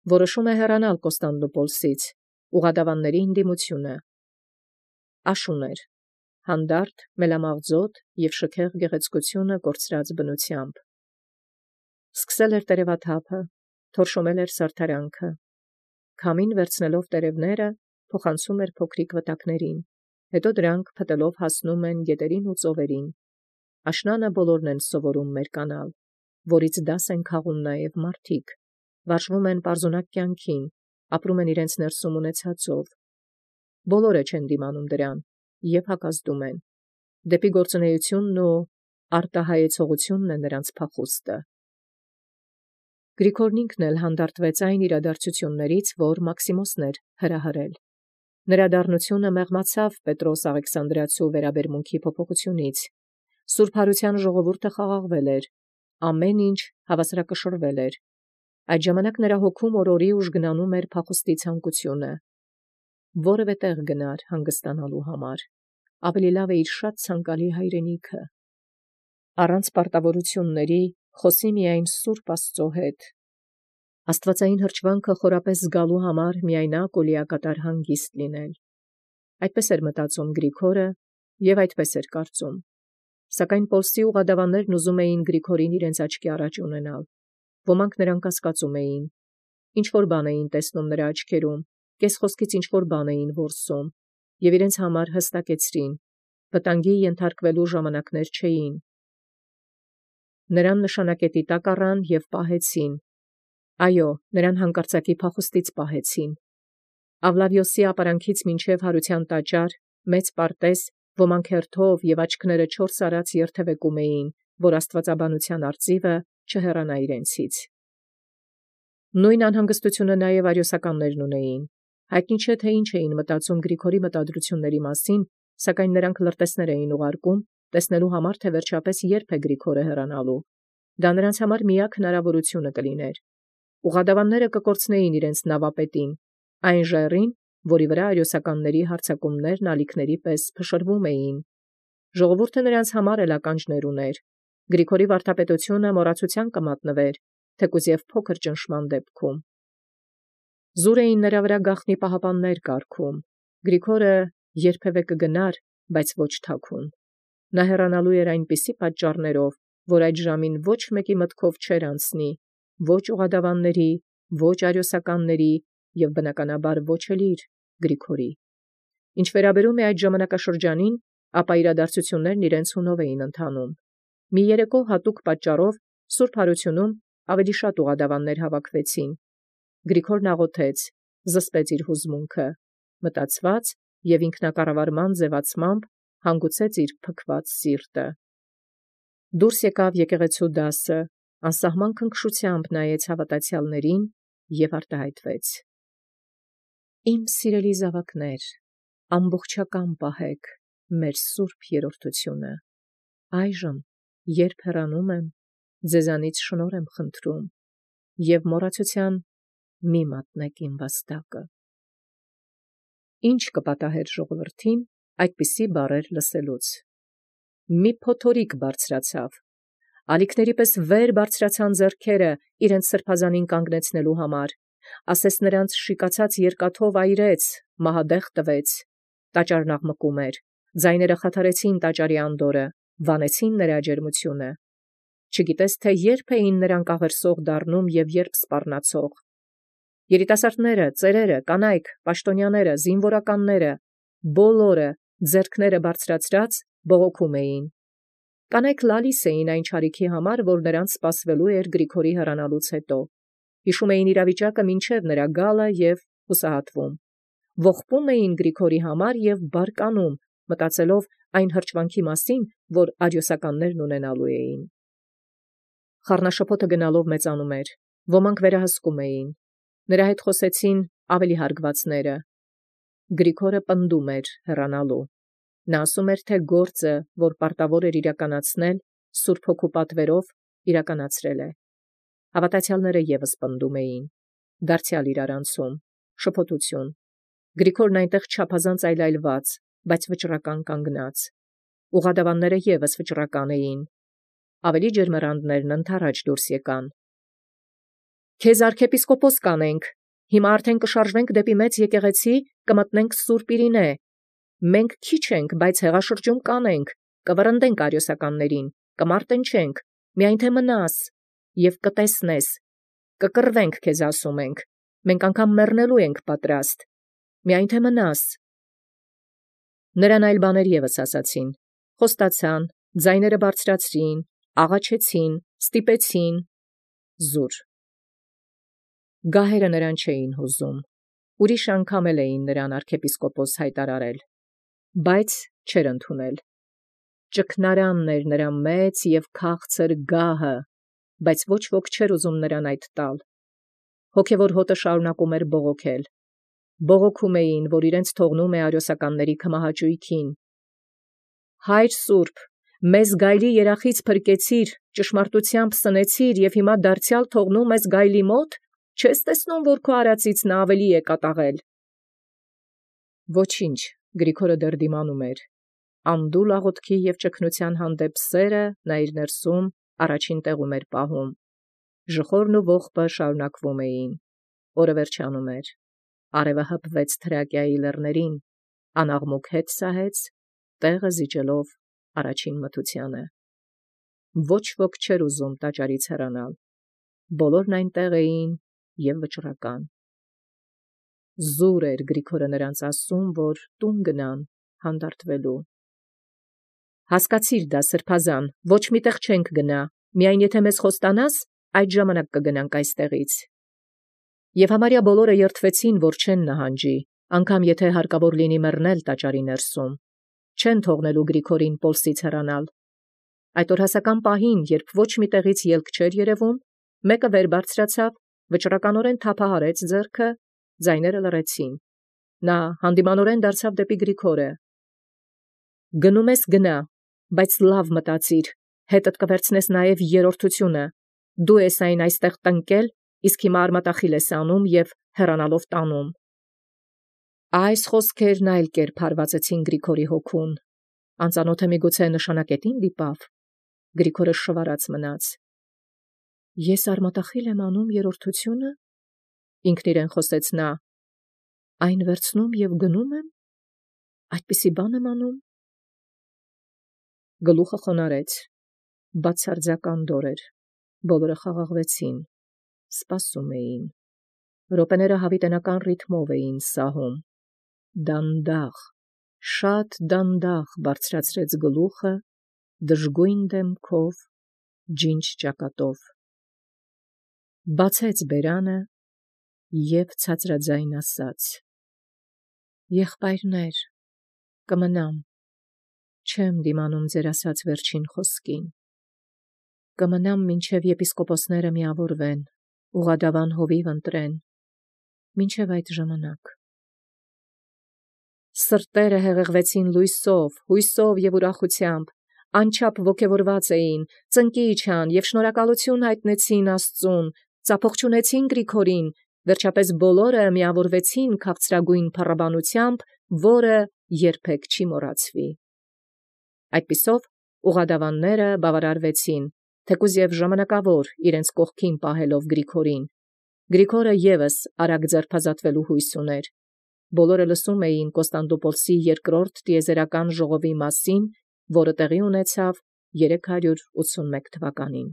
որոշում է հեռանալ Կոստանդնուպոլսից, ուղադավանների ընդդիմությունը։ Աշուն էր, հանդարտ, մելամաղձոտ և շքեղ գեղեցկությունը կորցրած բնությամբ։ Սկսել էր տերևաթափը, թորշոմել էր սարդարանքը, քամին վերցնելով տերևները, փոխանցում էր փոքրիկ վտակներին, հետո դրանք փտելով հասնում են գետերին ու ծովերին։ Աշնանը բոլորն են սովորում մերկանալ, որից դաս են քաղում նաև մարդիկ, վարժվում են պարզունակ կյանքին, ապրում են իրենց ներսում ունեցածով։ Բոլորը չեն դիմանում դրան և հակազդում են։ Դեպի գործունեությունն ու արտահայեցողությունն է նրանց փախուստը։ Գրիգորն ինքն էլ հանդարտվեց այն իրադարձություններից, որ Մաքսիմոսն էր հրահրել։ Նրա դառնությունը մեղմացավ Պետրոս Աղեքսանդրացու վերաբերմունքի փոփոխությունից։ Սուրբ Հարության ժողովուրդը խաղաղվել էր, ամեն ինչ հավասարակշռվել էր։ Այդ ժամանակ նրա հոգում օրորի ուժգնանում էր փախուստի ցանկությունը։ Որևէ տեղ գնար հանգստանալու համար, ավելի լավ է իր շատ ցանկալի հայրենիքը։ Առանց պարտավորությունների խոսի միայն Սուրբ Աստծո հետ։ Աստվածային հրճվանքը խորապես զգալու համար միայնակ ու լիակատար հանգիստ լինել։ Այդպես էր մտածում Գրիգորը և այդպես էր կարծում։ Սակայն Պոլսի ուղադավաններն ուզում էին Գրիգորին իրենց աչքի առաջ ունենալ։ Ոմանք նրան կասկածում էին։ Ինչ-որ բան էին տեսնում նրա աչքերում, կեսխոսքից ինչ-որ բան էին որսում, և իրենց համար հստակեցրին. վտանգի ենթարկվելու ժամանակներ չէին։ Նրան նշանակետի տակ առան և պահեցին։ Այո, նրան հանկարծակի փախուստից պահեցին։ Ավլավիոսի ապարանքից մինչև Հարության տաճար, մեծ պարտեզ, ոմանք հերթով և աչքները 4 արած երթևեկում էին, որ աստվածաբանության արծիվը չհեռանա իրենցից։ Նույն անհանգստությունը նաև արիոսականներն ունեին։ Հայտնի չէ, թե ինչ էին մտածում Գրիգորի մտադրությունների մասին, սակայն նրանք լրտեսներ էին ուղարկում, տեսնելու համար, թե վերջապես երբ է Գրիգորը հեռանալու։ Դա նրանց համար միակ հնարավորությունը կլիներ։ Ուղադավանները կկորցնեին իրենց նավապետին, այն ժայռին, որի վրա արիոսականների հարձակումներն ալիքների պես փշրվում էին։ Ժողովուրդը նրանց համար էլ ականջներ ուներ։ Գրիգորի վարդապետությունը մոռացության կմատնվեր, թեկուզ և փոքր ճնշման դեպքում։ Զուր էին նրա վրա գաղտնի պահապաններ կարգում։ Գրիգորը երբևէ կգնար, բայց ոչ թաքուն։ Նա հեռանալու էր այնպիսի պատճառներով, որ այդ ժամին ոչ մեկի մտքով չէր անցնի, ոչ ուղադավանների, ոչ արիոսականների և բնականաբար ոչ էլ իր Գրիգորի։ Ինչ վերաբերում է այդ ժամանակաշրջանին, ապա իրադարձություններն իրենց հունով էին ընթանում։ Մի երեկո հատուկ պատճառով Սուրբ Հարությունում ավելի շատ ուղադավաններ հավաքվեցին։ Գրիգորն աղոթեց, զսպեց իր հուզմունքը, մտածված և ինքնակառավարման ձևացմամբ հանգուցեց իր փքված սիրտը։ Դուրս եկավ եկեղեցու դասը, անսահման քնքշությամբ նայեց հավատացյալներին և արտահայտվեց. Իմ սիրելի զավակներ, ամբողջական պահեք մեր սուրբ երրորդությունը։ Այժմ, երբ հեռանում եմ, ձեզանից շնորհ եմ խնդրում և մոռացության մի մատնեք իմ վաստակը։ Ինչ կպատահեր ժողովրդին այդպիսի բառեր լսելուց։ Մի փոթորիկ բարձրացավ։ Ալիքների պես վեր բարձրացան ձեռքերը իրենց սրբազանին կանգնեցնելու համար, ասես նրանց շիկացած երկաթով այրեց, մահադեղ տվեց։ Տաճարն աղմկում էր, ձայները խաթարեցին տաճարի անդորը, վանեցին նրա ջերմությունը։ Չգիտես, թե երբ էին նրանք աղերսող դառնում և երբ սպառնացող։ Երիտասարդները, ծերերը, կանայք, պաշտոնյաները, զինվորականները, բոլորը ձեռքները բարձրացրած բողոքում էին։ Կանայք լալիս էին այն չարիքի համար, որ նրանց սպասվելու էր Գրիգորի հեռանալուց հետո։ Հիշում էին իրավիճակը մինչև նրա գալը և հուսահատվում։ Ողբում էին Գրիգորի համար և բարկանում, մտածելով այն հրճվանքի մասին, որ արիոսականներն ունենալու էին։ Խառնաշփոթը գնալով մեծանում էր, ոմանք վերահսկում էին։ Նրա հետ խոսեցին ավելի հարգվածները։ Գրիգորը պնդում էր հեռանալու։ Նա ասում էր, թե գործը, որ պարտավոր էր իրականացնել, Սուրբ Հոգու պատվերով իրականացրել է։ Հավատացյալները ևս պնդում էին։ Դարձյալ իրարանցում, շփոթություն։ Գրիգորն այնտեղ չափազանց այլայլված, բայց վճռական կանգնած։ Ուղադավանները ևս վճռական էին։ Ավելի ջերմեռանդներն ընդառաջ դուրս եկան։ Քեզ arczepiskopos կանենք, հիմա արդեն կշարժվենք դեպի մեծ եկեղեցի, կմտնենք Սուրբ Իրինե։ Մենք քիչ ենք, բայց հեղաշրջում կանենք, կվրընդենք արիոսականներին, կմարտենչենք, միայն թե մնաս, և կտեսնես, կկռվենք քեզ ասում ենք, մենք անգամ մեռնելու ենք պատրաստ, միայն թե մնաս։ Նրան այլ բաներ ևս ասացին, խոստացան, ձայները բարձրացրին, աղաչեցին, ստիպեցին, զուր։ Գահերը նրան չէին հուզում, ուրիշ անգամ էլ էին նրան arczepiskopos հայտարարել, բայց չէր ընդունել։ Ճգնարանն էր նրա մեծ և քաղցր գահը, բայց ոչ ոք չէր ուզում նրան այդ տալ։ Հոգևոր հոտը շարունակում էր բողոքել։ Բողոքում էին, որ իրենց թողնում է արիոսականների քմահաճույքին։ Հայր Սուրբ, մեզ գայլի երախից փրկեցիր, ճշմարտությամբ սնեցիր և հիմա դարձյալ թողնում ես գայլի մոտ, չես տեսնում, որ քո արածից նա ավելի է կատաղել։ Ոչինչ, Գրիգորը դեռ դիմանում էր։ Անդուլ աղոթքի և ճգնության հանդեպ սերը նա իր ներսում առաջին տեղում էր պահում։ Ժխորն ու ողբը շարունակվում էին։ Օրը վերջանում էր։ Արևը հպվեց Թրակիայի լեռներին, անաղմուկ հետ սահեց, տեղը զիջելով առաջին մթությանը։ Ոչ ոք չէր ուզում տաճարից հեռանալ։ Բոլորն այնտեղ էին և վճռական։ Զուր էր Գրիգորը նրանց ասում, որ տուն գնան հանդարտվելու։ Հասկացիր դա, սրբազան, ոչ միտեղ չենք գնա, միայն եթե մեզ խոստանաս, այդ ժամանակ կգնանք այստեղից։ Եվ համարյա բոլորը երդվեցին, որ չեն նահանջի, անգամ եթե հարկավոր լինի մեռնել տաճարի ներսում, չեն թողնելու Գրիգորին Պոլսից հեռանալ։ Այդ օրհասական պահին, երբ ոչ մի տեղից ելք չէր երևում, մեկը վեր բարձրացավ, վճռականորեն թափահարեց ձեռքը, ձայները լռեցին։ Նա հանդիմանորեն դարձավ դեպի Գրիգորը։ Գնում ես գնա, բայց լավ մտածիր, հետդ կվերցնես նաև երրորդությունը։ Դու ես այն այստեղ տնկել, իսկ հիմա արմատախիլ ես անում և հեռանալով տանում։ Այս խոսքերն այլ կերպ հարվածեցին Գրիգորի հոգուն։ Անծանոթը միգուցե նշանակետին դիպավ։ Գրիգորը շվարած մնաց։ Ես արմատախիլ եմ անում երրորդությունը, ինքն իրեն խոսեց նա, այն վերցնում և գնում եմ, այդպիսի բան եմ անում։ Գլուխը խոնարհեց, բացարձական դոր էր, բոլորը խաղաղվեցին, սպասում էին։ Րոպեները հավիտենական ռիթմով էին սահում։ Դանդաղ, շատ դանդաղ բարձրացրեց գլուխը, դժգույն դեմքով, ջինջ ճակատով։ Բացեց բերանը և ցածրաձայն ասաց. Եղբայրներ, կմնամ, չեմ դիմանում ձեր ասած վերջին խոսքին, կմնամ մինչև եպիսկոպոսները միավորվեն, ուղղադավան հովիվ ընտրեն, մինչև այդ ժամանակ։ Սրտերը հեղեղվեցին լույսով, հույսով և ուրախությամբ, անչափ ոգևորված էին, ծնկի իջան և շնորհակալություն հայտնեցին Աստծուն, ծափող չունեցին Գրիգորին, վերջապես բոլորը միավորվեցին քաղցրագույն փառաբանությամբ, որը երբեք չի մոռացվի։ Այդպիսով ուղղադավանները բավարարվեցին, թեկուզ և ժամանակավոր իրենց կողքին պահելով Գրիգորին։ Գրիգորը ևս արագ ձերբազատվելու հույս ուներ։ Բոլորը լսում էին Կոստանդնուպոլսի երկրորդ տիեզերական ժողովի մասին, որը տեղի ունեցավ 381 թվականին։